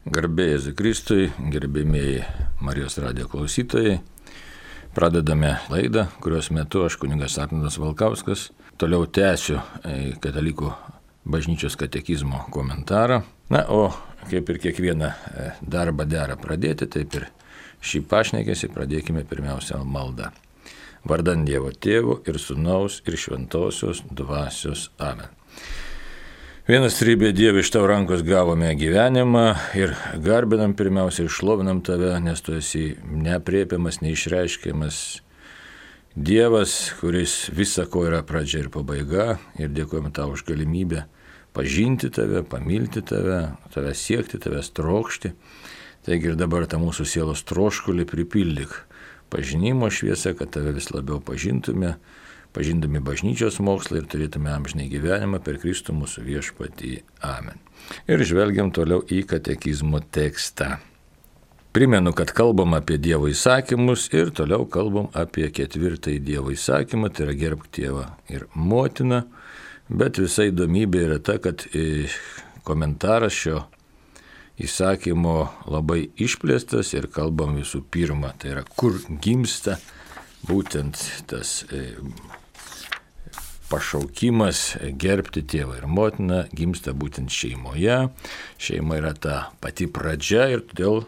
Garbė Jėzui Kristui, gerbėmieji Marijos radijo klausytojai. Pradedame laidą, kurios metu aš, kunigas Arnoldas Valkauskas, toliau tęsiu katalikų bažnyčios katekizmo komentarą. Na, o kaip ir kiekvieną darbą dera pradėti, taip ir šį pašnekesį pradėkime pirmiausia maldą. Vardan Dievo Tėvo ir Sūnaus ir Šventosios Dvasios. Amen. Vienas trybė Dieve, iš tavo rankos gavome gyvenimą ir garbinam pirmiausia ir šlovinam tave, nes tu esi neaprėpiamas, neišreiškiamas Dievas, kuris visako yra pradžia ir pabaiga, ir dėkojame tau už galimybę pažinti tave, pamilti tave, tave siekti, tavęs trokšti. Taigi ir dabar tą mūsų sielos troškulį pripildyk pažinimo šviesą, kad tave vis labiau pažindami bažnyčios mokslą ir turėtume amžinai gyvenimą per Kristų mūsų viešpatį. Amen. Ir žvelgiam toliau į katekizmo tekstą. Primenu, kad kalbam apie Dievo įsakymus ir toliau kalbam apie 4 Dievo įsakymą, tai yra gerbk tėvą ir motiną, bet visa įdomybė yra ta, kad komentaras šio įsakymo labai išplėstas ir kalbam visų pirma, tai yra kur gimsta būtent tas pašaukimas gerbti tėvą ir motiną, gimsta būtent šeimoje. Šeima yra ta pati pradžia ir todėl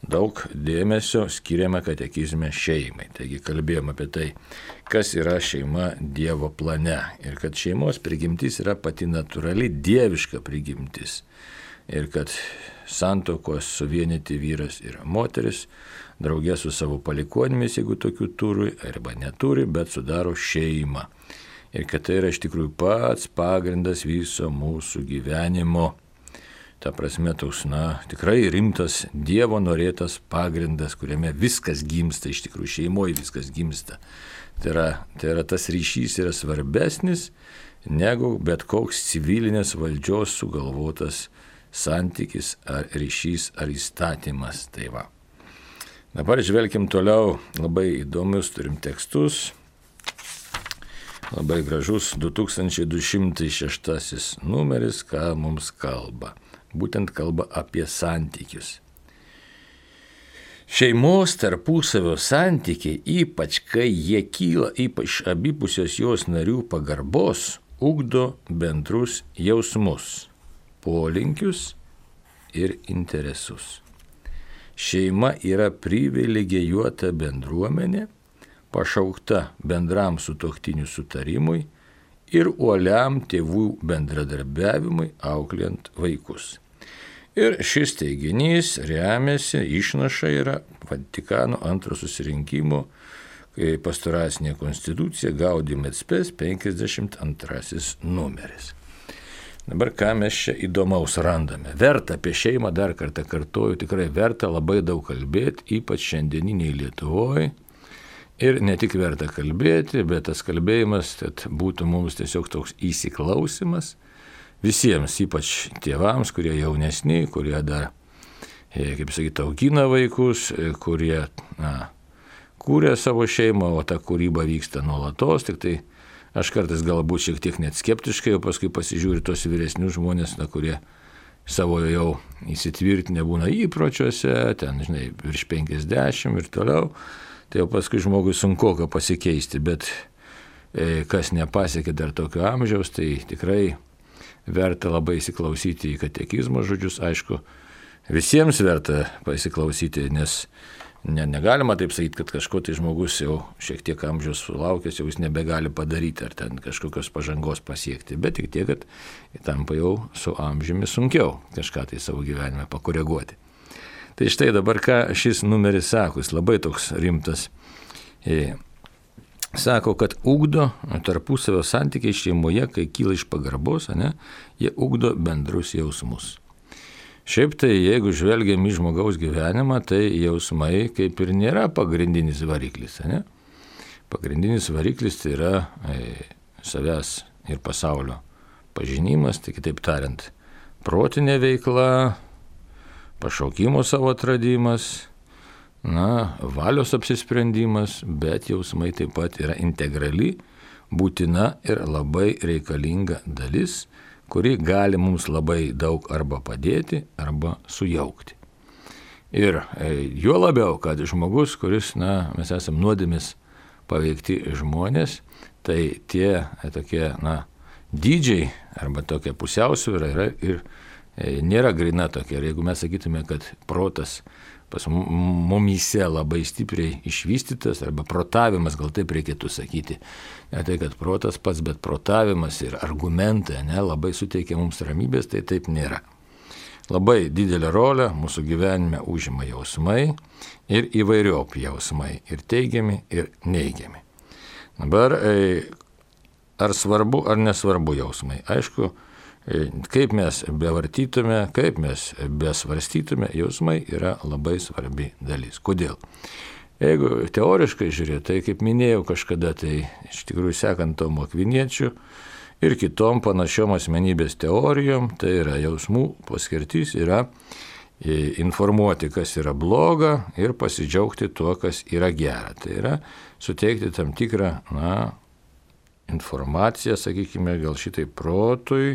daug dėmesio skiriame katekizme šeimai. Taigi kalbėjome apie tai, kas yra šeima Dievo plane ir kad šeimos prigimtis yra pati natūrali dieviška prigimtis ir kad santuokos suvienyti vyras ir moteris draugė su savo palikuonimis, jeigu tokių turi arba neturi, bet sudaro šeimą. Ir kad tai yra iš tikrųjų pats pagrindas viso mūsų gyvenimo. Ta prasme, toks, tikrai rimtas Dievo norėtas pagrindas, kuriame viskas gimsta, iš tikrųjų šeimoje viskas gimsta. Tai yra tas ryšys yra svarbesnis negu bet koks civilinės valdžios sugalvotas santykis ar ryšys ar įstatymas. Tai va. Dabar žvelkim toliau, labai įdomius turim tekstus. Labai gražus 2206 numeris, ką mums kalba. Būtent kalba apie santykius. Šeimos tarpusavio santykiai, ypač kai jie kyla iš abipusios jos narių pagarbos, ugdo bendrus jausmus, polinkius ir interesus. Šeima yra privilegijuota bendruomenė, pašaukta bendram sutuoktinių sutarimui ir uoliam tėvų bendradarbiavimui auklėjant vaikus. Ir šis teiginys remiasi, išnaša yra Vatikano antro susirinkimo pastoracinė konstitucija Gaudium et Spes 52 numeris. Dabar ką mes čia įdomaus randame? Verta apie šeimą, dar kartą kartuoju, tikrai verta labai daug kalbėti, ypač šiandieniniai Lietuvoje. Ir ne tik verta kalbėti, bet tas kalbėjimas būtų mums tiesiog toks įsiklausimas visiems, ypač tėvams, kurie jaunesni, kurie dar, kaip sakyti, augina vaikus, kurie kūrė savo šeimą, o ta kūryba vyksta nuolatos, tik tai aš kartais galbūt šiek tiek net skeptiškai, o paskui pasižiūri tos vyresnius žmonės, kurie savo jau įsitvirtinę būna įpročiuose, ten, virš 50 ir toliau. Tai jau paskui žmogui sunkoka pasikeisti, bet kas nepasiekė dar tokio amžiaus, tai tikrai verta labai įsiklausyti į katekizmo žodžius. Aišku, visiems verta pasiklausyti, nes negalima taip sakyti, kad kažko tai žmogus jau šiek tiek amžiaus sulaukęs, jau jis nebegali padaryti ar ten kažkokios pažangos pasiekti, bet tik tiek, kad tampa jau su amžiumi sunkiau kažką tai savo gyvenime pakoreguoti. Tai štai dabar ką šis numeris sako, jis labai toks rimtas. Sako, kad ugdo tarpusavio santykiai šeimoje, kai kyla iš pagarbos, jie ugdo bendrus jausmus. Šiaip tai, jeigu žvelgiam į žmogaus gyvenimą, tai jausmai kaip ir nėra pagrindinis variklis. Pagrindinis variklis tai yra savęs ir pasaulio pažinimas, tai kitaip tariant, protinė veikla, pašaukimo savo atradimas, valios apsisprendimas, bet jausmai taip pat yra integrali, būtina ir labai reikalinga dalis, kuri gali mums labai daug arba padėti, arba sujaukti. Ir juo labiau, kad žmogus, kuris, mes esame nuodėmės paveikti žmonės, tai tie tokie, dydžiai arba tokia pusiausvyra yra ir nėra grina tokia. Ir jeigu mes sakytume, kad protas pas mumyse labai stipriai išvystytas, arba protavimas, gal taip reikėtų sakyti. Ne tai, kad protas pats, bet protavimas ir argumentai labai suteikia mums ramybės, tai taip nėra. Labai didelę rolę mūsų gyvenime užima jausmai ir įvairiopi jausmai, ir teigiami, ir neigiami. Dabar, ar svarbu, ar nesvarbu jausmai? Aišku, kaip mes bevartytume, kaip mes besvarstytume, jausmai yra labai svarbi dalis. Kodėl? Jeigu teoriškai žiūrėti, tai kaip minėjau kažkada, tai iš tikrųjų sekant Tomu Akviniečiu ir kitom panašiom asmenybės teorijom, tai yra jausmų paskirtis yra informuoti, kas yra bloga ir pasidžiaugti tuo, kas yra gera. Tai yra suteikti tam tikrą, informaciją, sakykime, gal šitai protui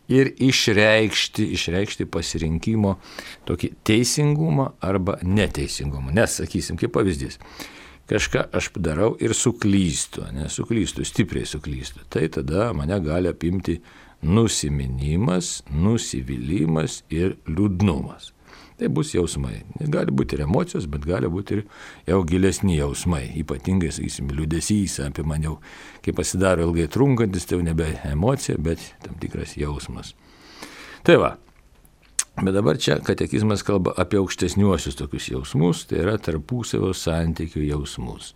ir išreikšti pasirinkimo tokį teisingumą arba neteisingumą. Nes, sakysim, kaip pavyzdys, kažką aš padarau ir suklystu, stipriai suklystu. Tai tada mane gali apimti nusiminimas, nusivylimas ir liūdnumas. Tai bus jausmai. Gali būti ir emocijos, bet gali būti ir jau gilesni jausmai. Ypatingai, sakysim, liūdesys apie mane, kai pasidaro ilgai trunkantis, tai jau nebe emocija, bet tam tikras jausmas. Tai va. Bet dabar čia katekizmas kalba apie aukštesniuosius tokius jausmus, tai yra tarpusavio santykių jausmus,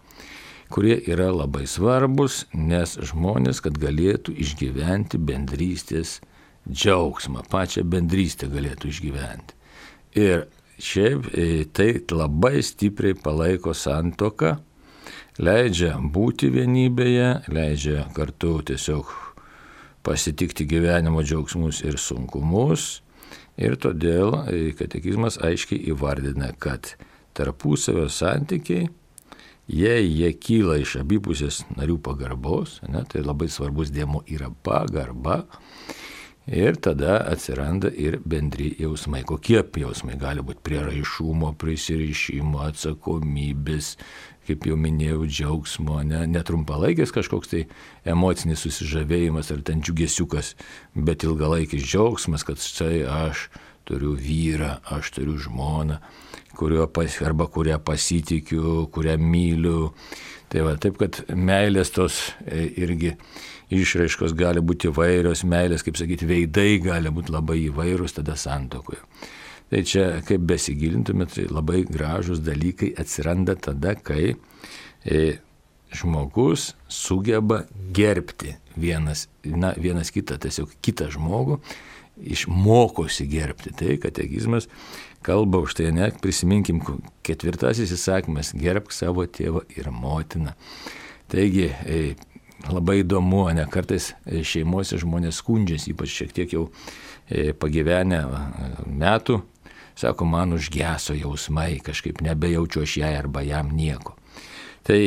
kurie yra labai svarbus, nes žmonės, kad galėtų išgyventi bendrystės džiaugsmą, pačią bendrystę galėtų išgyventi. Ir šiaip tai labai stipriai palaiko santuoką, leidžia būti vienybėje, leidžia kartu tiesiog pasitikti gyvenimo džiaugsmus ir sunkumus. Ir todėl katekizmas aiškiai įvardina, kad tarpusavio santykiai, jei jie kyla iš abipusės narių pagarbos, tai labai svarbus dėmuo yra pagarba. Ir tada atsiranda ir bendri jausmai. Kokie jausmai gali būti? Prieraišumo, prisirišimo, atsakomybės, kaip jau minėjau, džiaugsmo, netrumpalaikis kažkoks tai emocinis susižavėjimas ar ten džiugesiukas, bet ilgalaikis džiaugsmas, kad štai aš turiu vyrą, aš turiu žmoną, kurią pasitikiu, kurią myliu. Tai va, taip, kad meilės tos irgi išraiškos gali būti įvairios, meilės, kaip sakyti, veidai gali būti labai įvairūs tada santuokoje. Tai čia, kaip besigilintumėt, tai labai gražus dalykai atsiranda tada, kai žmogus sugeba gerbti vienas kitą, tiesiog kitą žmogų, išmokosi gerbti. Tai katekizmas kalba už tai, prisiminkim 4 įsakymas, gerbk savo tėvą ir motiną. Taigi, labai įdomu, kartais šeimose žmonės skundžiasi, ypač šiek tiek jau pagyvenę metų, sako, man užgeso jausmai, kažkaip nebejaučiu aš jai arba jam nieko. Tai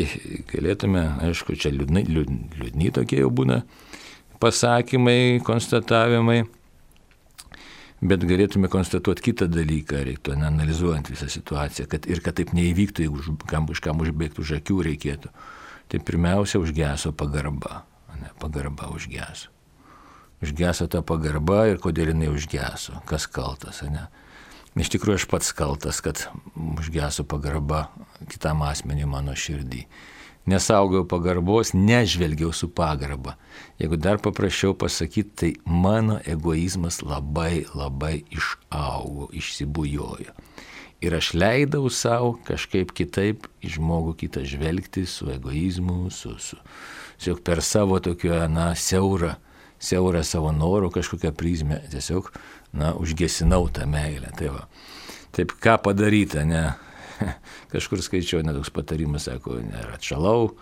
galėtume, aišku, čia liūdni tokie jau būna pasakymai, konstatavimai, bet galėtume konstatuoti kitą dalyką, reiktų analizuojant visą situaciją, kad taip neįvyktų, jeigu kažkam užbėgti už akių reikėtų. Tai pirmiausia užgeso pagarba. Pagarba užgeso. Užgeso ta pagarba ir kodėl jinai užgeso. Kas kaltas, Iš tikrųjų aš pats kaltas, kad užgeso pagarba kitam asmeniui mano širdį. Nesaugau pagarbos, nežvelgiau su pagarba. Jeigu dar paprašiau pasakyti, tai mano egoizmas labai, labai išaugo, išsibujojo. Ir aš leidau savo kažkaip kitaip į žmogų kitą žvelgti su egoizmu, tiesiog per savo tokio, siaurą savo norų kažkokią prizmę, tiesiog, užgesinau tą meilę. Tai va. Taip, ką padaryti, Kažkur skaičiau, toks patarimas, sako, ar atšalau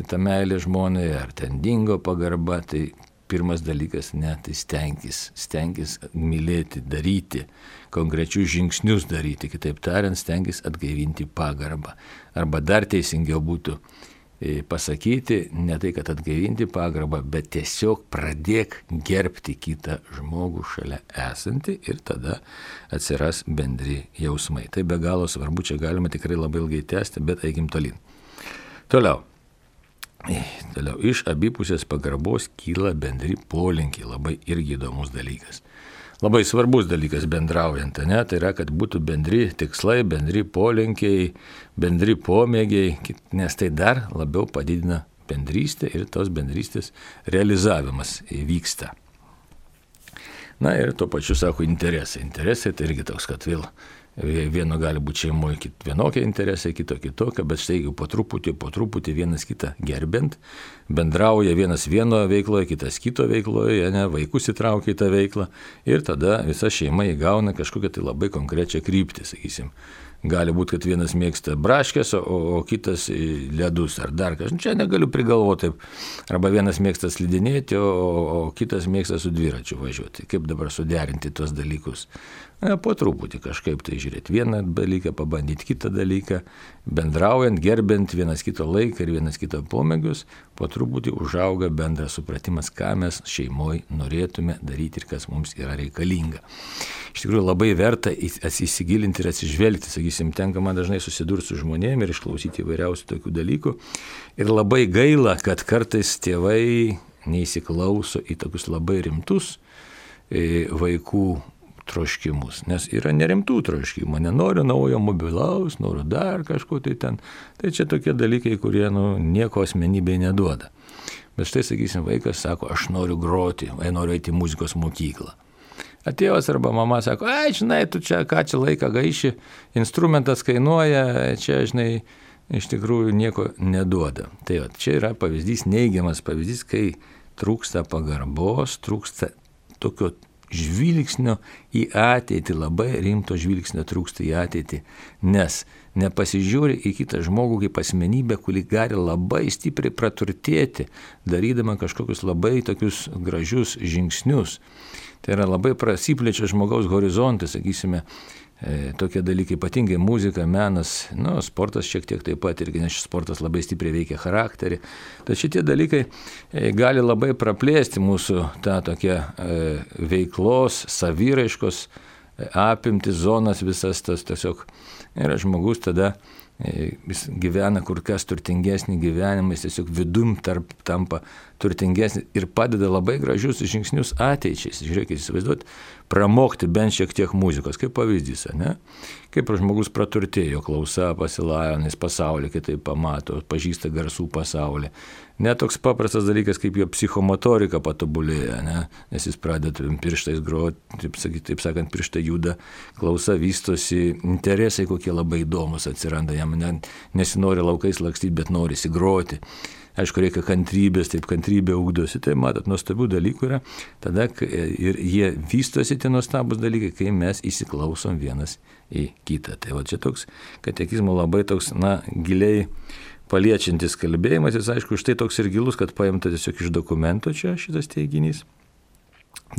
tą meilę žmonai, ar ten dingo pagarba, tai pirmas dalykas, tai stenkis mylėti, daryti, konkrečius žingsnius daryti, kitaip tariant, stenkis atgaivinti pagarbą. Arba dar teisingiau būtų pasakyti, ne tai, kad atgaivinti pagarbą, bet tiesiog pradėk gerbti kitą žmogų šalia esantį ir tada atsiras bendri jausmai. Tai be galo svarbu, čia galima tikrai labai ilgai tęsti, bet eikim tolyn. Toliau, iš abipusės pagarbos kyla bendri polinkiai, labai irgi įdomus dalykas. Labai svarbus dalykas bendraujant, ne? Tai yra, kad būtų bendri tikslai, bendri polinkiai, bendri pomėgiai, nes tai dar labiau padidina bendrystę ir tos bendrystės realizavimas vyksta. Na ir tuo pačiu sako interesai. Interesai tai irgi toks, kad vėl vieno gali būti šeimoje vienokie interesai, kito kitokie, bet štai jau po truputį vienas kitą gerbent, bendrauja vienas vieno veikloje, kitas kito veikloje, ne, vaikus įtraukia į tą veiklą ir tada visa šeima įgauna kažkokią tai labai konkrečią kryptį, sakysim. Gali būti, kad vienas mėgsta braškės, o kitas ledus ar dar kažkas. Čia negaliu prigalvoti. Arba vienas mėgsta slidinėti, o kitas mėgsta su dviračiu važiuoti. Kaip dabar suderinti tos dalykus? Po truputį kažkaip tai žiūrėti. Vieną dalyką, pabandyti kitą dalyką. Bendraujant, gerbent vienas kito laiką ir vienas kito pomėgius, po truputį užauga bendras supratimas, ką mes šeimoje norėtume daryti ir kas mums yra reikalinga. Iš tikrųjų labai verta įsigilinti ir atsižvelgti, sakysim, tenka man dažnai susidurti su žmonėmis ir išklausyti įvairiausių tokių dalykų. Ir labai gaila, kad kartais tėvai neįsiklauso į tokius labai rimtus vaikų troškimus, nes yra nerimtų troškimų, nenoriu naujo mobilaus, noriu dar kažko tai ten. Tai čia tokie dalykai, kurie nieko asmenybei neduoda. Bet štai, sakysim, vaikas sako, aš noriu groti, noriu eiti į muzikos mokyklą. Tėvas arba mama sako, žinai, tu čia ką čia laiką gaiši, instrumentas kainuoja, čia, žinai, iš tikrųjų nieko neduoda. Tai čia yra pavyzdys, neigiamas pavyzdys, kai trūksta pagarbos, trūksta tokio žvilgsnio į ateitį, labai rimto žvilgsnio trūksta į ateitį, nes nepasižiūri į kitą žmogų kaip asmenybę, kuri gali labai stipriai praturtėti, darydama kažkokius labai tokius gražius žingsnius. Tai yra labai prasiplečia žmogaus horizontai, sakysime, tokie dalykai, ypatingai muzika, menas, sportas šiek tiek taip pat, irgi nes sportas labai stipriai veikia charakterį. Tai šitie dalykai gali labai praplėsti mūsų tą tokią veiklos, saviraiškos apimti zonas visas tas tiesiog. Ir žmogus tada jis gyvena kur kas turtingesnį gyvenimą, jis tiesiog vidum tampa turtingesnį ir padeda labai gražius žingsnius ateičiai. Žiūrėkit, įsivaizduot, pramokti bent šiek tiek muzikos, kaip pavyzdys, ne? Kaip žmogus praturtėjo, klausa pasilajo, jis pasaulį kitaip pamato, pažįsta garsų pasaulį. Net toks paprastas dalykas, kaip jo psichomotorika patobulėja, ne? Nes jis pradeda pirštais groti, taip sakant, pirštai juda, klausa vystosi, interesai kokie labai įdomus atsiranda, jam nesinori laukais lakstyti, bet norisi groti. Aišku, reikia kantrybės, taip kantrybė ugdosi, tai matot, nuostabių dalykų yra, tada ir jie vystosi tie nuostabus dalykai, kai mes įsiklausom vienas į kitą. Tai va čia toks katekizmo labai toks, giliai paliečiantis kalbėjimas, jis aišku, štai toks ir gilus, kad paimta tiesiog iš dokumento čia šitas teiginys.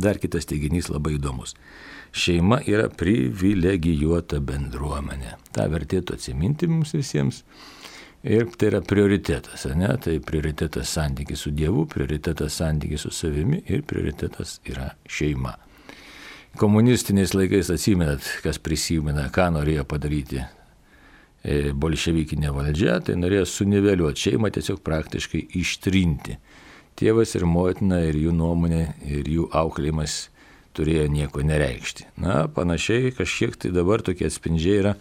Dar kitas teiginys labai įdomus. Šeima yra privilegijuota bendruomenė. Ta vertėtų atsiminti mums visiems. Ir tai yra prioritetas, ne? Tai prioritetas santykis su Dievu, prioritetas santykis su savimi ir prioritetas yra šeima. Komunistiniais laikais atsimenat, kas prisimena, ką norėjo padaryti bolševikinė valdžia, tai norėjo suniveliuoti šeimą, tiesiog praktiškai ištrinti. Tėvas ir motina ir jų nuomonė ir jų auklėjimas turėjo nieko nereikšti. Panašiai kažkiek tai dabar tokie atspindžiai yra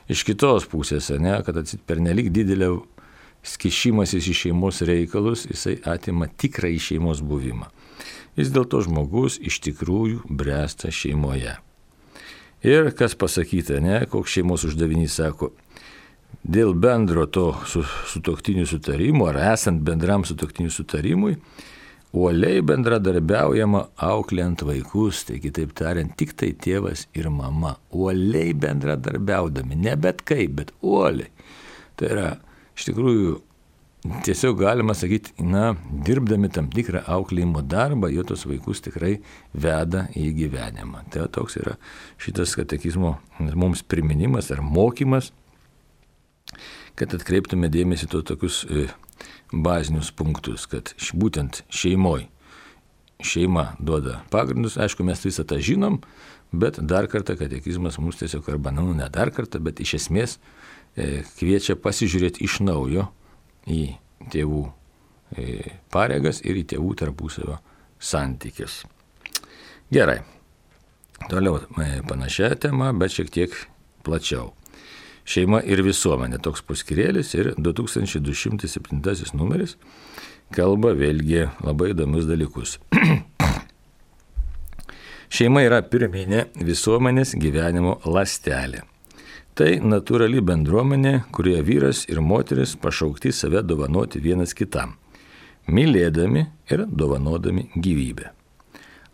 iš kitos pusės, ne, kad pernelyg didelė skišimasis į šeimos reikalus, jisai atima tikrą į šeimos buvimą. Vis dėlto žmogus iš tikrųjų bręsta šeimoje. Ir kas pasakyta, ne, koks šeimos uždavinys sako, dėl bendro to sutuoktinių sutarimų, ar esant bendram sutuoktinių sutarimui, uoliai bendradarbiaujama auklėjant vaikus, tai kitaip tariant, tik tai tėvas ir mama, uoliai bendradarbiaudami, ne bet kaip, bet uoliai. Tai yra, iš tikrųjų, tiesiog galima sakyti, dirbdami tam tikrą auklėjimo darbą, jo tos vaikus tikrai veda į gyvenimą. Tai toks yra šitas katekizmo mums priminimas ar mokymas, kad atkreiptume dėmesį tokius bazinius punktus, kad būtent šeima duoda pagrindus. Aišku, mes visą tą žinom, bet dar kartą katekizmas mums tiesiog ne dar kartą, bet iš esmės kviečia pasižiūrėti iš naujo į tėvų pareigas ir į tėvų tarpusavio santykius. Gerai. Toliau panašia tema, bet šiek tiek plačiau. Šeima ir visuomenė, toks paskirėlis ir 2207 numeris kalba vėlgi labai įdomius dalykus. Šeima yra pirminė visuomenės gyvenimo ląstelė. Tai natūrali bendruomenė, kurioje vyras ir moteris pašaukti save dovanoti vienas kitam, mylėdami ir dovanodami gyvybę.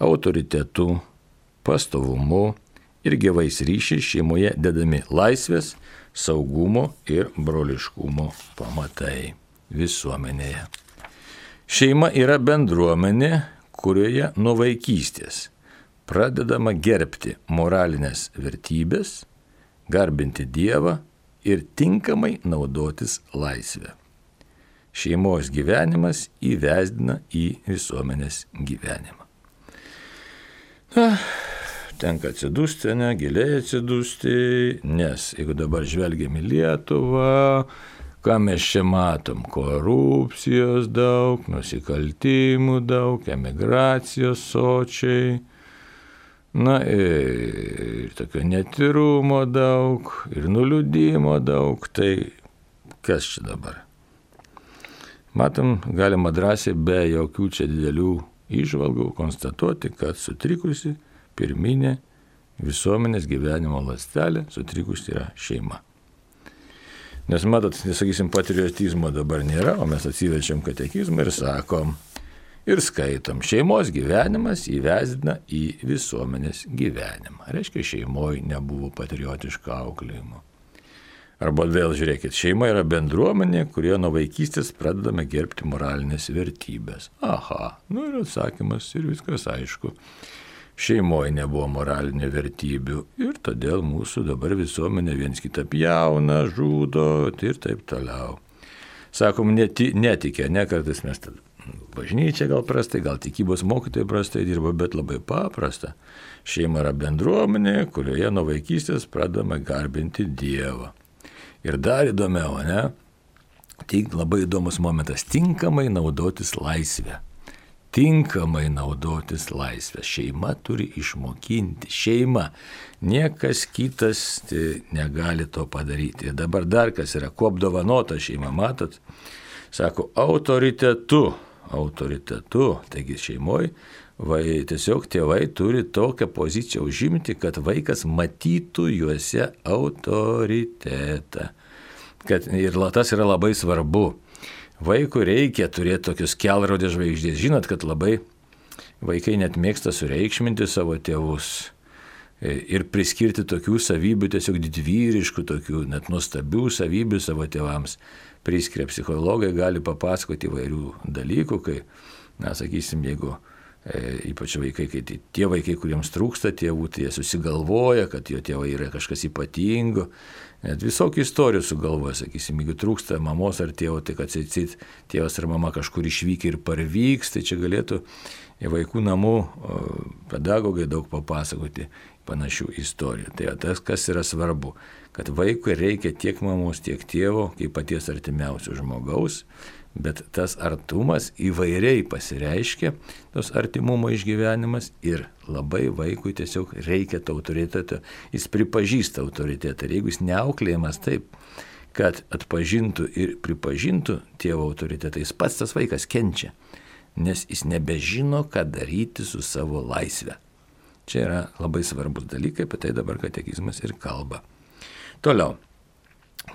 Autoritetu, pastovumu ir gyvais ryšiais šeimoje dedami laisvės, saugumo ir broliškumo pamatai visuomenėje. Šeima yra bendruomenė, kurioje nuo vaikystės pradedama gerbti moralinės vertybės, garbinti Dievą ir tinkamai naudotis laisvę. Šeimos gyvenimas įvesdina į visuomenės gyvenimą. Tenka atsidusti, giliai atsidusti, nes jeigu dabar žvelgiam į Lietuvą, ką mes čia matom? Korupcijos daug, nusikaltimų daug, emigracijos sočiai, ir tokio netyrumo daug, ir nuliūdimo daug, tai kas čia dabar? Matom, galima drąsiai be jokių čia didelių įžvalgų konstatuoti, kad sutrikusi pirminė visuomenės gyvenimo ląstelė, sutrikusi yra šeima. Nes matot, nesakysim, patriotizmo dabar nėra, o mes atsiverčiam katekizmą ir sakom, ir skaitom, šeimos gyvenimas įvesdina į visuomenės gyvenimą. Reiškia, šeimoje nebuvo patriotiško auklėjimo. Arba vėl žiūrėkit, šeima yra bendruomenė, kurioje nuo vaikystės pradedame gerbti moralinės vertybės. Aha, ir atsakymas ir viskas aišku. Šeimoje nebuvo moralinių vertybių ir todėl mūsų dabar visuomenė viens kitą pjauna, žudo ir taip toliau. Sakom, netikė, kartais mes bažnyčia gal prastai, gal tikybos mokytojai prastai dirba, bet labai paprasta. Šeima yra bendruomenė, kurioje nuo vaikystės pradedame garbinti Dievą. Ir dar įdomiau, labai įdomus momentas, tinkamai naudotis laisvę. Tinkamai naudotis laisvę. Šeima turi išmokinti. Šeima. Niekas kitas negali to padaryti. Ir dabar dar kas yra, kuo apdovanota šeima, matot? Sako, autoritetu. Taigi šeimoje tiesiog tėvai turi tokią poziciją užimti, kad vaikas matytų juose autoritetą. Ir tas yra labai svarbu. Vaikui reikia turėti tokius kelrodės žvaigždės. Žinot, kad labai vaikai net mėgsta sureikšminti savo tėvus ir priskirti tokių savybių, tiesiog didvyriškų, tokių net nuostabių savybių savo tėvams. Priskiria psichologai, gali papasakoti įvairių dalykų, kai, sakysim, jeigu ypač vaikai, kai tie vaikai, kuriems trūksta tėvų, tai jie susigalvoja, kad jo tėvai yra kažkas ypatingo. Net visokių istorijų sugalvoja, sakysim, jeigu trūksta mamos ar tėvo, tai kad tėvas ar mama kažkur išvykia ir parvyks, tai čia galėtų vaikų namų pedagogai daug papasakoti panašių istorijų. Tai tas, kas yra svarbu, kad vaikui reikia tiek mamos, tiek tėvo, kaip paties artimiausio žmogaus, bet tas artumas įvairiai pasireiškia, tos artimumo išgyvenimas ir labai vaikui tiesiog reikia to autoriteto, jis pripažįsta autoritetą ir jeigu jis neauklėjamas taip, kad atpažintų ir pripažintų tėvo autoritetą, jis pats tas vaikas kenčia, nes jis nebežino, ką daryti su savo laisve. Čia yra labai svarbus dalykai, apie tai dabar katekizmas ir kalba. Toliau,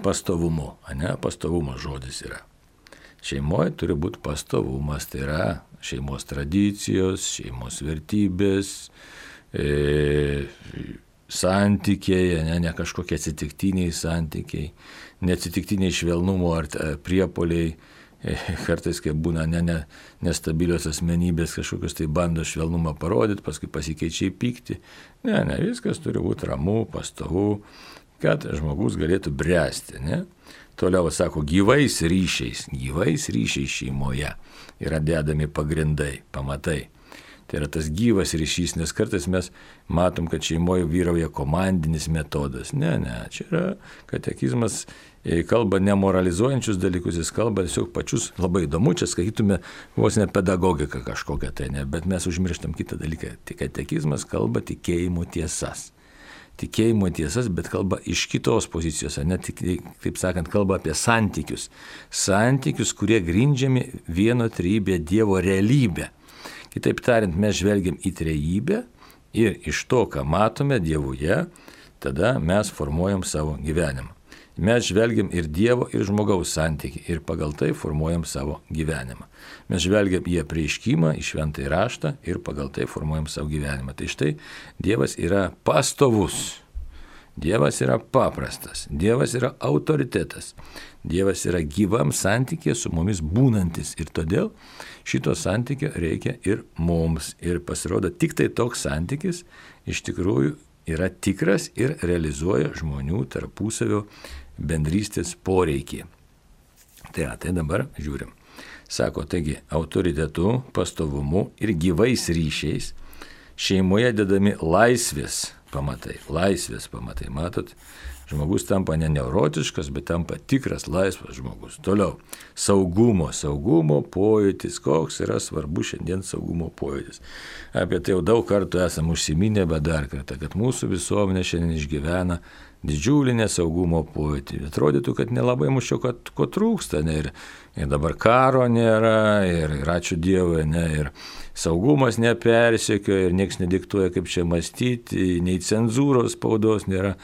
pastovumu, pastovumo žodis yra. Šeimoje turi būti pastovumas, tai yra šeimos tradicijos, šeimos vertybės, santykiai, ne kažkokie atsitiktiniai santykiai, neatsitiktiniai švelnumo ar priepoliai, kartais kai būna nestabilios asmenybės kažkokios, tai bando švelnumą parodyti, paskui pasikeičia į pyktį. Ne, viskas turi būti ramu, pastovu, kad žmogus galėtų bręsti, ne? Toliau sako, gyvais ryšiais šeimoje yra dedami pagrindai, pamatai. Tai yra tas gyvas ryšys, nes kartais mes matom, kad šeimoje vyrauja komandinis metodas. Ne, čia yra katekizmas, kalba nemoralizuojančius dalykus, jis kalba tiesiog pačius, labai įdomu, čia skaitytume vos ne pedagogiką kažkokią tai, ne, bet mes užmirštam kitą dalyką. Tai katekizmas kalba tikėjimo tiesas. Tikėjimo tiesas, bet kalba iš kitos pozicijos, ne tik, taip sakant, kalba apie santykius. Santykius, kurie grindžiami vieno trejybė Dievo realybė. Kitaip tariant, mes žvelgiam į trejybę ir iš to, ką matome Dievuje, tada mes formuojam savo gyvenimą. Mes žvelgiam ir Dievo, ir žmogaus santykį ir pagal tai formuojam savo gyvenimą. Mes žvelgiam į apreiškimą, į šventąjį raštą ir pagal tai formuojam savo gyvenimą. Tai štai Dievas yra pastovus. Dievas yra paprastas, Dievas yra autoritetas, Dievas yra gyvam santykė su mumis būnantis ir todėl šito santykio reikia ir mums. Ir pasirodo, tik tai toks santykis iš tikrųjų yra tikras ir realizuoja žmonių tarpusavio bendrystės poreikį. Tai dabar žiūrim. Sako, taigi, autoritetu, pastovumu ir gyvais ryšiais šeimoje dedami laisvės pamatai, matot, žmogus tampa ne neurotiškas, bet tampa tikras laisvas žmogus. Toliau, saugumo pojūtis, koks yra svarbus šiandien saugumo pojūtis. Apie tai jau daug kartų esam užsiminę, bet dar kartą, kad mūsų visuomenė šiandien išgyvena didžiulį nesaugumo pojūtį. Atrodytų, kad nelabai mūsų ko trūksta, ne, ir dabar karo nėra, ir ačiū Dievui, ne, ir saugumas nepersekioja, ir nieks nediktuoja, kaip čia mąstyti, nei cenzūros spaudos nėra.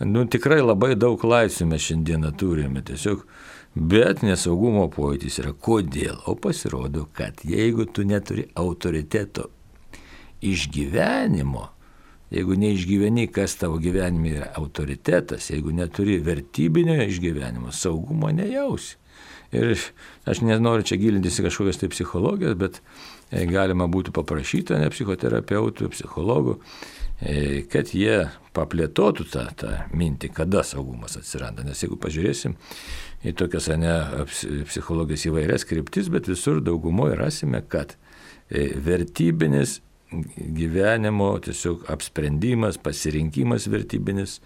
Tikrai labai daug laisvės mes šiandieną turime, tiesiog, bet nesaugumo pojūtis yra. Kodėl? O pasirodo, kad jeigu tu neturi autoriteto išgyvenimo, jeigu neišgyveni, kas tavo gyvenime yra autoritetas, jeigu neturi vertybinio išgyvenimo, saugumo nejausi. Ir aš nenoriu čia gilintis į kažkokias tai psichologijas, bet galima būtų paprašyti ne psichoterapeutų, psichologų, kad jie paplėtotų tą mintį, kada saugumas atsiranda. Nes jeigu pažiūrėsim į tokias psichologijos įvairias kryptis, bet visur daugumoje rasime, kad vertybinis gyvenimo tiesiog apsprendimas, pasirinkimas vertybinis,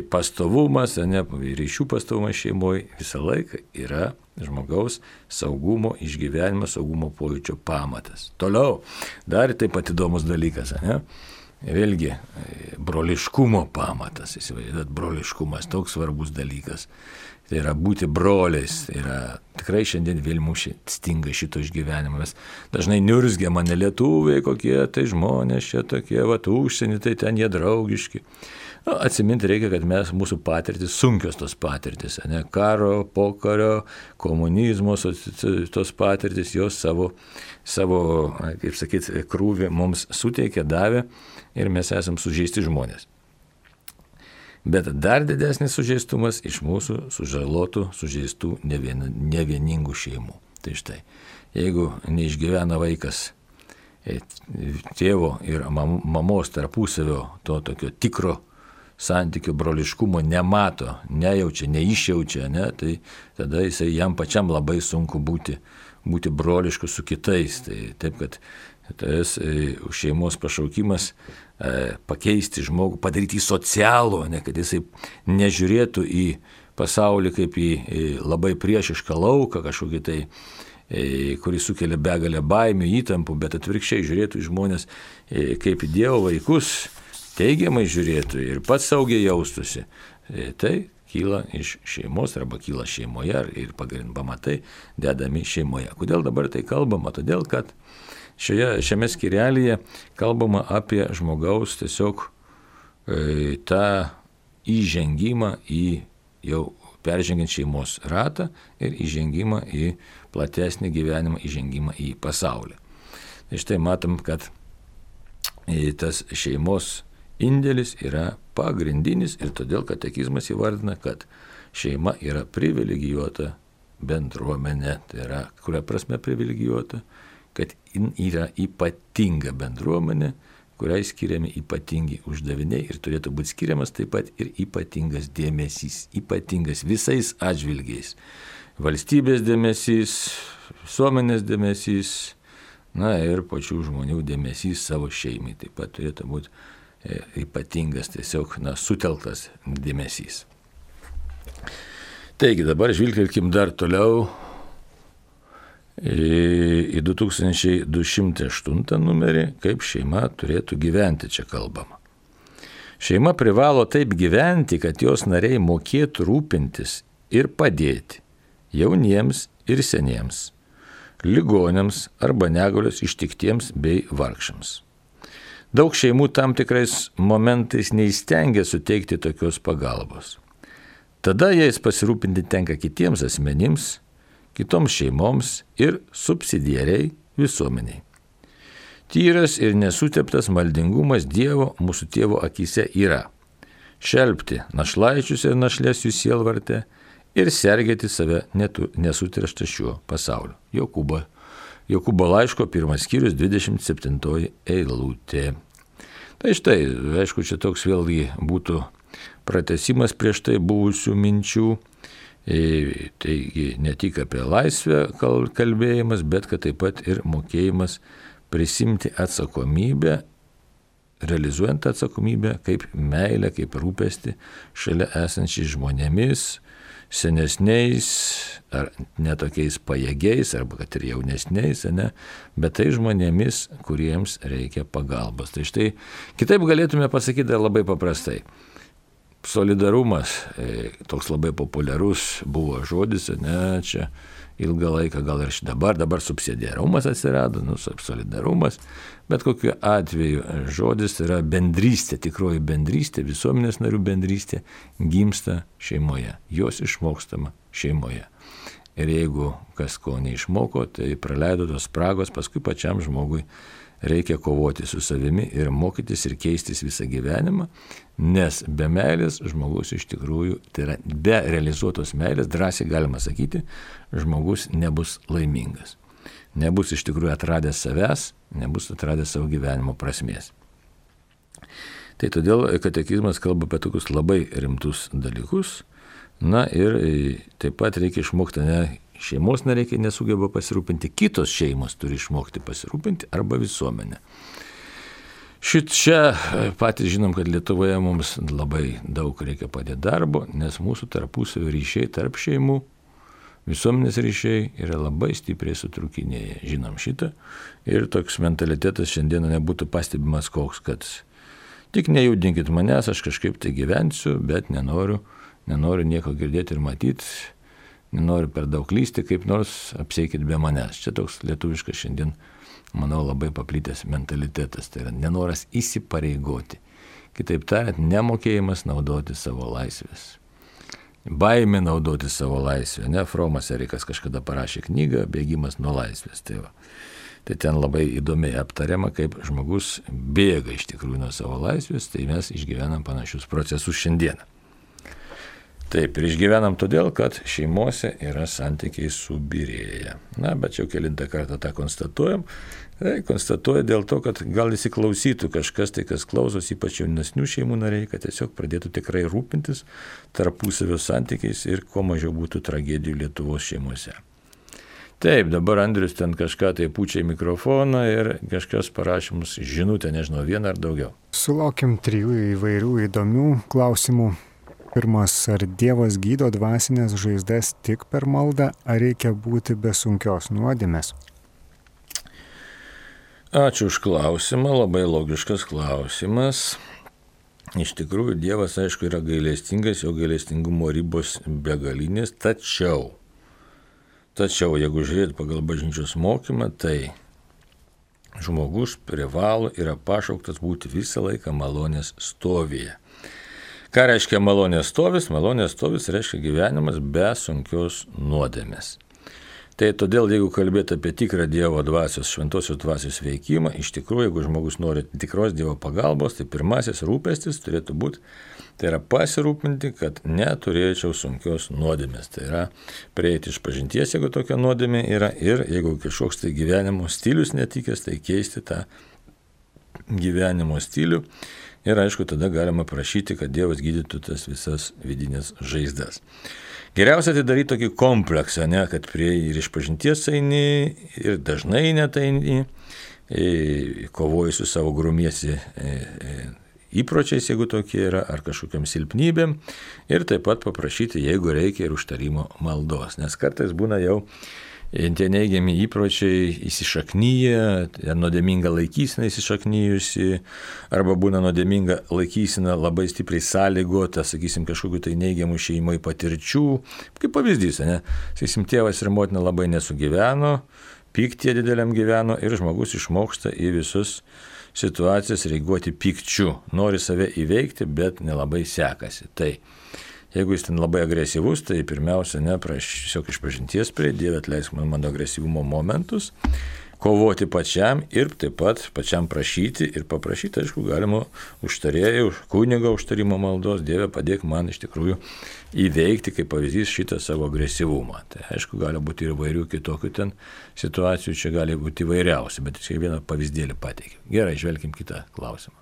pastovumas, ryšių pastovumas šeimoje visą laiką yra žmogaus saugumo išgyvenimo, saugumo pojūčio pamatas. Toliau, dar taip pat įdomus dalykas, vėlgi, broliškumo pamatas, įsivaizduot, broliškumas, toks svarbus dalykas. Tai yra būti broliais, tai yra tikrai šiandien vėl mūsų stinga šito išgyvenimo. Mes dažnai niurzgiam, ne lietuviai kokie, tai žmonės čia tokie, užsienį, tai ten jie draugiški. Atsiminti reikia, kad mūsų patirtis, sunkios tos patirtis, karo, pokario, komunizmo, tos patirtis, jos savo, kaip sakyti, krūvį mums suteikė, davė ir mes esam sužeisti žmonės. Bet dar didesnis sužeistumas iš mūsų sužalotų, sužeistų nevieningų šeimų. Tai štai, jeigu neišgyvena vaikas tėvo ir mamos tarpusavio to tokio tikro santykių broliškumo nemato, nejaučia, neišjaučia, tai tada jam pačiam labai sunku būti brolišku su kitais. Tai taip, kad tas šeimos pašaukimas pakeisti žmogų, padaryti socialų, kad jisai nežiūrėtų į pasaulį kaip į labai priešišką lauką, kažkokį tai, kuris sukelia begalę baimių, įtampų, bet atvirkščiai žiūrėtų į žmonės kaip į Dievo vaikus, teigiamai žiūrėtų ir pats saugiai jaustųsi. Tai kyla iš šeimos arba kyla šeimoje ir pamatai dedami šeimoje. Kodėl dabar tai kalbama? Todėl, kad šiame skyrelyje kalbama apie žmogaus tiesiog tą įžengimą į jau peržengiant šeimos ratą ir įžengimą į platesnį gyvenimą, įžengimą į pasaulį. Tai štai matom, kad tas šeimos indėlis yra pagrindinis ir todėl katekizmas įvardina, kad šeima yra privilegijuota bendruomenė. Tai yra, kuria prasme privilegijuota? Kad yra ypatinga bendruomenė, kuriai skiriami ypatingi uždaviniai ir turėtų būti skiriamas taip pat ir ypatingas dėmesys, ypatingas visais atžvilgiais. Valstybės dėmesys, visuomenės dėmesys, ir pačių žmonių dėmesys savo šeimai taip pat turėtų būti ypatingas, tiesiog sutelktas dėmesys. Taigi dabar žvilgtelkim dar toliau į 2208 numerį, kaip šeima turėtų gyventi, čia kalbama. Šeima privalo taip gyventi, kad jos nariai mokėtų rūpintis ir padėti jauniems ir seniems, ligoniams arba negalios ištiktiems bei vargšams. Daug šeimų tam tikrais momentais neįstengia suteikti tokios pagalbos. Tada jais pasirūpinti tenka kitiems asmenims, kitoms šeimoms ir subsidiariai visuomeniai. Tyras ir nesuteptas maldingumas Dievo mūsų tėvo akyse yra šelpti našlaičius ir našlės jų sielvarte ir sergėti save nesutirštą šiuo pasauliu. Jokūbo laiško 1 skyrius 27 eilutė. Tai štai, aišku, čia toks vėlgi būtų pratęsimas prieš tai buvusių minčių. Taigi ne tik apie laisvę kalbėjimas, bet kad taip pat ir mokėjimas prisimti atsakomybę, realizuojant atsakomybę kaip meilę, kaip rūpestį šalia esančiais žmonėmis, senesniais ar netokiais pajėgiais, arba kad ir jaunesniais, bet tai žmonėmis, kuriems reikia pagalbos. Tai štai kitaip galėtume pasakyti dar labai paprastai. Solidarumas, toks labai populiarus buvo žodis, čia ilgą laiką, gal ir dabar subsidiarumas atsirado, solidarumas, bet kokiu atveju žodis yra bendrystė, tikroji bendrystė, visuomenės narių bendrystė gimsta šeimoje, jos išmokstama šeimoje. Ir jeigu kas ko neišmoko, tai praleido tos spragos, paskui pačiam žmogui reikia kovoti su savimi ir mokytis ir keistis visą gyvenimą, nes be meilės žmogus iš tikrųjų, tai yra be realizuotos meilės, drąsiai galima sakyti, žmogus nebus laimingas. Nebus iš tikrųjų atradęs savęs, nebus atradęs savo gyvenimo prasmės. Tai todėl katekizmas kalba apie tokius labai rimtus dalykus, ir taip pat reikia išmokti, šeimos nariai nesugeba pasirūpinti, kitos šeimos turi išmokti pasirūpinti arba visuomenė. Čia patys žinom, kad Lietuvoje mums labai daug reikia padėti darbo, nes mūsų tarpusavio ryšiai tarp šeimų, visuomenės ryšiai yra labai stipriai sutrūkinėję. Žinom šitą ir toks mentalitetas šiandieną nebūtų pastebimas koks, kad tik nejudinkit manęs, aš kažkaip tai gyvensiu, bet nenoriu nieko girdėti ir matyti. Nenoriu per daug lysti, kaip nors apsieikit be manęs. Čia toks lietuviškas šiandien, manau, labai paplitęs mentalitetas. Tai yra nenoras įsipareigoti. Kitaip tariant, nemokėjimas naudoti savo laisvės. Baimė naudoti savo laisvę. Fromas Erikas kažkada parašė knygą Bėgimas nuo laisvės. Tai ten labai įdomiai aptariama, kaip žmogus bėga iš tikrųjų nuo savo laisvės. Tai mes išgyvenam panašius procesus šiandieną. Taip, ir išgyvenam todėl, kad šeimose yra santykiai subyrėję. Bet jau kelintą kartą tą konstatuojam. Konstatuoja dėl to, kad gal įsiklausytų kažkas, tai kas klausos, ypač jaunesnių šeimų nariai, kad tiesiog pradėtų tikrai rūpintis tarpusavio santykiais ir kuo mažiau būtų tragedijų Lietuvos šeimose. Taip, dabar Andrius ten kažką tai pučia į mikrofoną ir kažkas parašė mums žinutę, nežinau, vieną ar daugiau. Sulaukėm 3 įvairių įdomių klausimų. Pirmas, ar Dievas gydo dvasinės žaizdas tik per maldą, ar reikia būti be sunkios nuodėmės? Ačiū už klausimą, labai logiškas klausimas. Iš tikrųjų, Dievas, aišku, yra gailestingas, jo gailestingumo ribos begalinės, tačiau, jeigu žiūrėt pagal bažnyčios mokymą, tai žmogus privalo yra pašauktas būti visą laiką malonės stovyje. Ką reiškia malonės stovis? Malonės stovis reiškia gyvenimas be sunkios nuodėmės. Tai todėl, jeigu kalbėti apie tikrą Dievo dvasios, šventosios dvasios veikimą, iš tikrųjų, jeigu žmogus nori tikros Dievo pagalbos, tai pirmasis rūpestis turėtų būti, tai yra pasirūpinti, kad neturėčiau sunkios nuodėmės. Tai yra prieiti iš pažinties, jeigu tokia nuodėmė yra, ir jeigu kažkoks tai gyvenimo stilius netikęs, tai keisti tą gyvenimo stilių. Ir aišku, tada galima prašyti, kad Dievas gydytų tas visas vidinės žaizdas. Geriausia tai daryti tokį kompleksą, ne, kad prie ir išpažinties eini, ir dažnai net eini, kovoji su savo grumiesi įpročiais, jeigu tokie yra, ar kažkokiam silpnybėm, ir taip pat paprašyti, jeigu reikia, ir užtarimo maldos. Nes kartais būna jau tie neigiami įpročiai įsišaknyja, nuodėminga laikysena įsišaknyjusi, arba būna nuodėminga laikysena labai stipriai sąlygota, sakysim, kažkokiu tai neigiamų šeimai patirčių. Kaip pavyzdys, ne? Sakysim, tėvas ir motina labai nesugyveno, pyktie dideliam gyveno ir žmogus išmoksta į visus situacijas reaguoti pykčiu. Nori save įveikti, bet nelabai sekasi. Tai jeigu jis ten labai agresyvus, tai pirmiausia, tiesiog išpažinties prie Dieve atleisk man mano agresyvumo momentus, kovoti pačiam ir taip pat pačiam prašyti ir paprašyti, aišku, galima užtarėjų, kunigo užtarimo maldos, Dieve padėk man iš tikrųjų įveikti, kaip pavyzdys, šitą savo agresyvumą. Tai aišku, gali būti ir įvairių kitokių ten situacijų, čia gali būti įvairiausių, bet čia vieną pavyzdėlį pateikiu. Gerai, žvelkim kitą klausimą.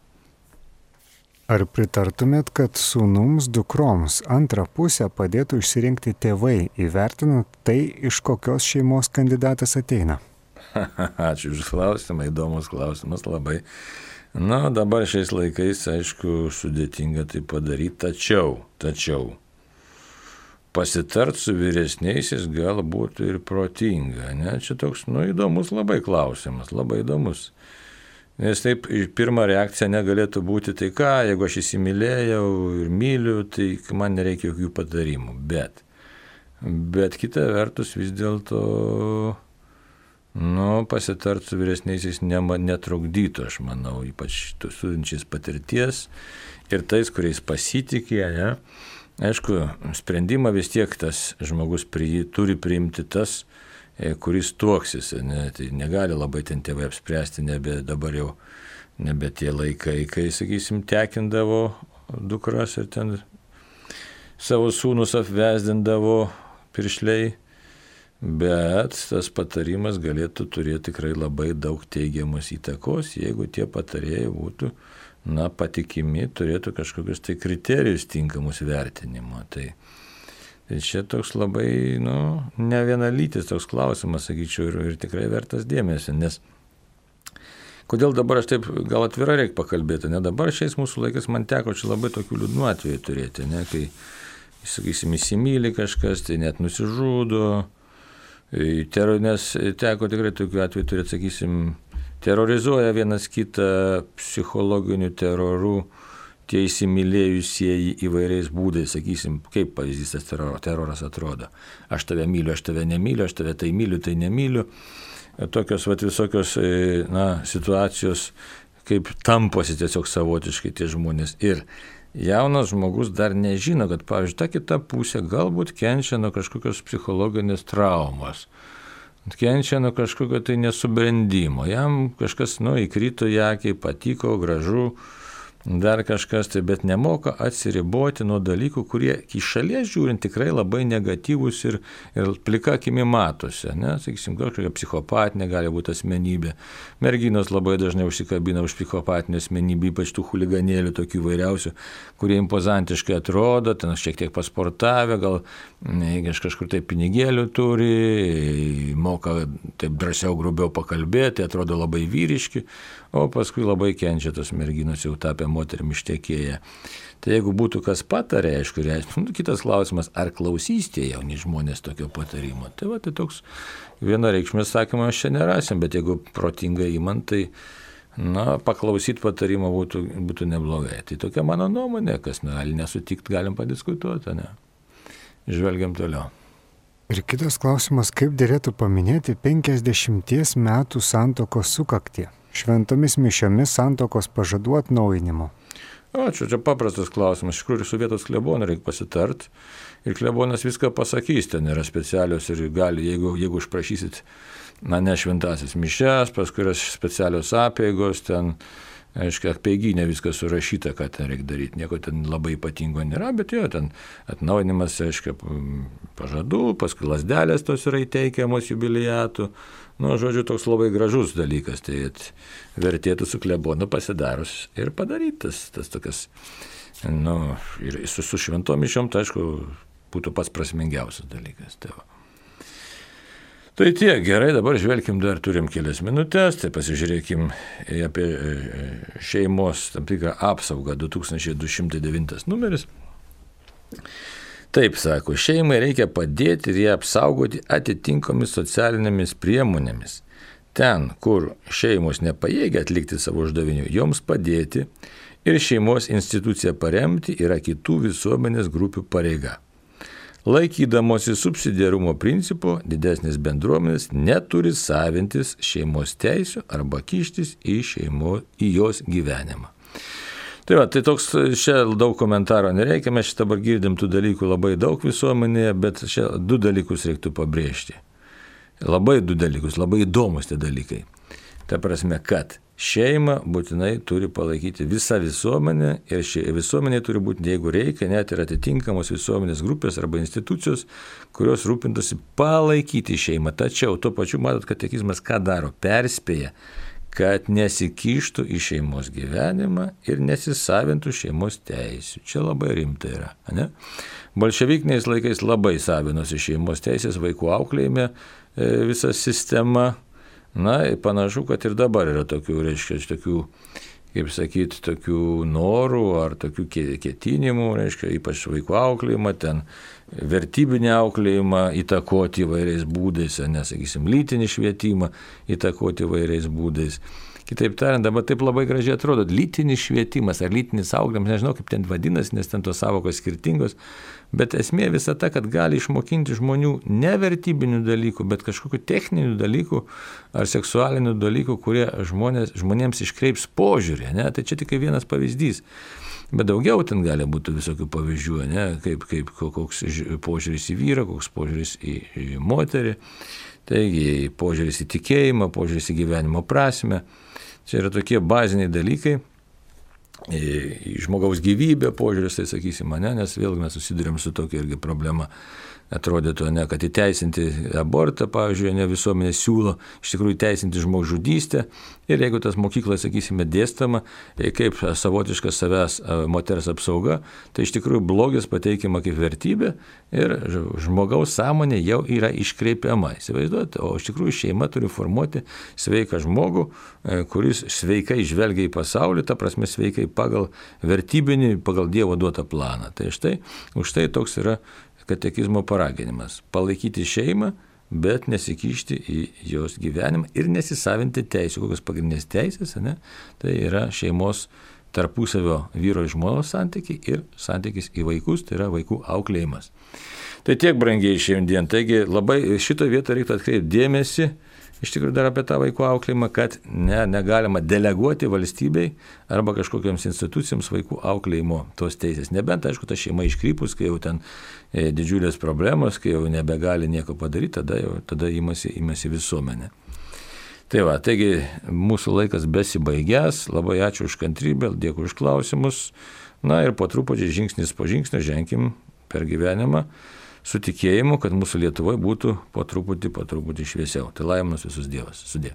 Ar pritartumėt, kad sūnums, dukroms antrą pusę padėtų išsirinkti tėvai, įvertinant tai, iš kokios šeimos kandidatas ateina? Ačiū už klausimą, įdomus klausimas labai. Na, dabar šiais laikais, aišku, sudėtinga tai padaryti, tačiau pasitart su vyresniaisiais galbūt ir protinga, ne? Čia toks, įdomus labai klausimas, labai įdomus. Nes taip, pirma reakcija negalėtų būti, tai ką, jeigu aš įsimylėjau ir myliu, tai man nereikia jokių patarimų. Bet kita vertus vis dėlto, pasitart su vyresniaisiais netrukdytų, aš manau, ypač turinčiais patirties ir tais, kuriais pasitikė, ne? Aišku, sprendimą vis tiek tas žmogus turi priimti tas, kuris tuoksis, ne, tai negali labai ten tėvai apspręsti, dabar jau nebe tie laikai, kai, sakysim, tekindavo dukras ir ten savo sūnus apvesdindavo piršliai, bet tas patarimas galėtų turėti tikrai labai daug teigiamos įtakos, jeigu tie patarėjai būtų, patikimi, turėtų kažkokius tai kriterijus tinkamus vertinimo. Tai čia toks labai, ne vienalytis toks klausimas, sakyčiau, ir tikrai vertas dėmesio, nes kodėl dabar aš taip, gal atvirai reikia pakalbėti, ne dabar šiais mūsų laikais man teko čia labai tokių liūdnų atvejų turėti, ne, kai, sakysim, įsimyli kažkas, tai net nusižudo, nes teko tikrai tokių atvejų turėti, sakysim, terorizuoja vienas kitą psichologiniu teroru, tie įsimylėjusieji įvairiais būdais, sakysim, kaip pavyzdys tas teroras atrodo. Aš tave myliu, aš tave nemyliu, aš tave tai myliu, tai nemyliu. Tokios visokios situacijos, kaip tamposi tiesiog savotiškai tie žmonės. Ir jaunas žmogus dar nežino, kad, pavyzdžiui, ta kita pusė galbūt kenčia nuo kažkokios psichologinės traumos. Kenčia nuo kažkokio tai nesubrendimo. Jam kažkas, įkrito į akį, patiko, gražu, dar kažkas, tai bet nemoka atsiriboti nuo dalykų, kurie iš šalies žiūrint tikrai labai negatyvus ir plika akimi matosi. Sakysim, kažkokia psichopatinė gali būti asmenybė. Merginos labai dažnai užsikabina už psichopatinę asmenybę, ypač tų chuliganėlių tokių įvairiausių, kurie impozantiškai atrodo, ten šiek tiek pasportavę, gal kažkur tai pinigėlių turi, moka taip drąsiau, grubiau pakalbėti, atrodo labai vyriški, o paskui labai kenčia tos merginos, jau tapę moterim ištekėję. Tai jeigu būtų kas patarė, aišku, kitas klausimas, ar klausys tie jauni žmonės tokio patarimo. Tai tai toks vienareikšmės sakymas čia nerasim, bet jeigu protingai įmant, tai paklausyti patarimo būtų neblogai. Tai tokia mano nuomonė, kas gali nesutikti, galim padiskutuoti, ne? Žvelgiam toliau. Ir kitas klausimas, kaip dėlėtų paminėti 50 metų santuokos sukaktį? Šventomis mišiomis santuokos pažadų atnaujinimo. Čia paprastas klausimas. Iš tikrųjų, su vietos klebonu reikia pasitart. Ir klebonas viską pasakys, ten yra specialios ir gali, jeigu užprašysit, ne šventasias mišias, paskui yra specialios apeigos, ten aiškiai, apeiginė viskas surašyta, ką ten reikia daryti. Nieko ten labai ypatingo nėra, bet jo, ten atnaujinimas, aiškiai, pažadų, paskui lasdelės tos yra įteikiamos jubiliatų. Nu, žodžiu, toks labai gražus dalykas, tai vertėtų su klebonu pasidarus ir padaryti tas tokias, nu, ir su šventom mišiom, tai aišku, būtų pats prasmingiausias dalykas. Tai tiek, gerai, dabar žvelkim, dar turim kelias minutės, tai pasižiūrėkim apie šeimos tam tikrą apsaugą, 2209 numeris. Taip sako, šeimai reikia padėti ir ją apsaugoti atitinkomis socialinėmis priemonėmis. Ten, kur šeimos nepajėgia atlikti savo uždavinių, joms padėti ir šeimos instituciją paremti yra kitų visuomenės grupių pareiga. Laikydamosi subsidiarumo principo, didesnės bendruomenės neturi savintis šeimos teisių arba kištis į jos gyvenimą. Tai va, tai toks, čia daug komentaro nereikia, mes šitą dabar girdim tų dalykų labai daug visuomenėje, bet čia du dalykus reiktų pabrėžti. Labai du dalykus, labai įdomus tie dalykai. Ta prasme, kad šeimą būtinai turi palaikyti visa visuomenė ir visuomenė turi būti, jeigu reikia, net ir atitinkamos visuomenės grupės arba institucijos, kurios rūpintųsi palaikyti šeimą. Tačiau tuo pačiu matot, katekizmas ką daro? Perspėja, kad nesikištų į šeimos gyvenimą ir nesisavintų šeimos teisių. Čia labai rimta yra. Ne? Bolševikiniais laikais labai savinosi šeimos teisės, vaikų auklėjime visa sistema. Na, panašu, kad ir dabar yra tokių, reiškia, tokių, kaip sakyti, tokių norų ar tokių ketinimų, reiškia, ypač vaikų auklėjimą, ten vertybinį auklėjimą įtakoti įvairiais būdais, nesakysim, lytinį švietimą įtakoti įvairiais būdais. Kitaip tariant, dabar taip labai gražiai atrodo, lytinis švietimas ar lytinis auklėjimas, nežinau kaip ten vadinasi, nes ten tos savokos skirtingos, bet esmė visa ta, kad gali išmokinti žmonių ne vertybinių dalykų, bet kažkokių techninių dalykų ar seksualinių dalykų, kurie žmonėms iškreips požiūrį, ne? Tai čia tik vienas pavyzdys. Bet daugiau ten gali būti visokių pavyzdžių, ne? Kaip koks požiūris į vyrą, koks požiūris į moterį, taigi požiūris į tikėjimą, požiūris į gyvenimo prasmę. Čia yra tokie baziniai dalykai, į žmogaus gyvybę požiūris, tai sakysim, nes vėlgi mes susidurėm su tokia irgi problema. Atrodytų, kad įteisinti abortą, pavyzdžiui, visuomenė siūlo iš tikrųjų įteisinti žmogžudystę ir jeigu tas mokykloje, sakysime, dėstama kaip savotiškas savęs moters apsauga, tai iš tikrųjų blogis pateikiama kaip vertybė ir žmogaus sąmonė jau yra iškreipiama. Įsivaizduojate, o iš tikrųjų šeima turi formuoti sveiką žmogų, kuris sveikai žvelgia į pasaulį, ta prasme sveikai pagal vertybinį, pagal Dievo duotą planą. Tai už tai toks yra katekizmo paraginimas – palaikyti šeimą, bet nesikišti į jos gyvenimą ir nesisavinti teisių. Kokios pagrindinės teisės, tai yra šeimos tarpusavio vyro ir žmonos santykiai ir santykis į vaikus, tai yra vaikų auklėjimas. Tai tiek, brangiai, šiandien. Taigi labai šitą vietą reiktų atkreipti dėmesį, iš tikrųjų dar apie tą vaikų auklėjimą, kad negalima deleguoti valstybei arba kažkokiams institucijams vaikų auklėjimo tos teisės. Nebent, aišku, ta šeima iškrypus, kai jau ten didžiulės problemos, kai jau nebegali nieko padaryti, tada imasi visuomenė. Tai va, taigi mūsų laikas besibaigęs, labai ačiū už kantrybę, dėkui už klausimus. Na ir po truputį žingsnis po žingsnio ženkim per gyvenimą su tikėjimu, kad mūsų Lietuvoje būtų po truputį šviesiau. Tai laiminas visus Dievas. Sudie.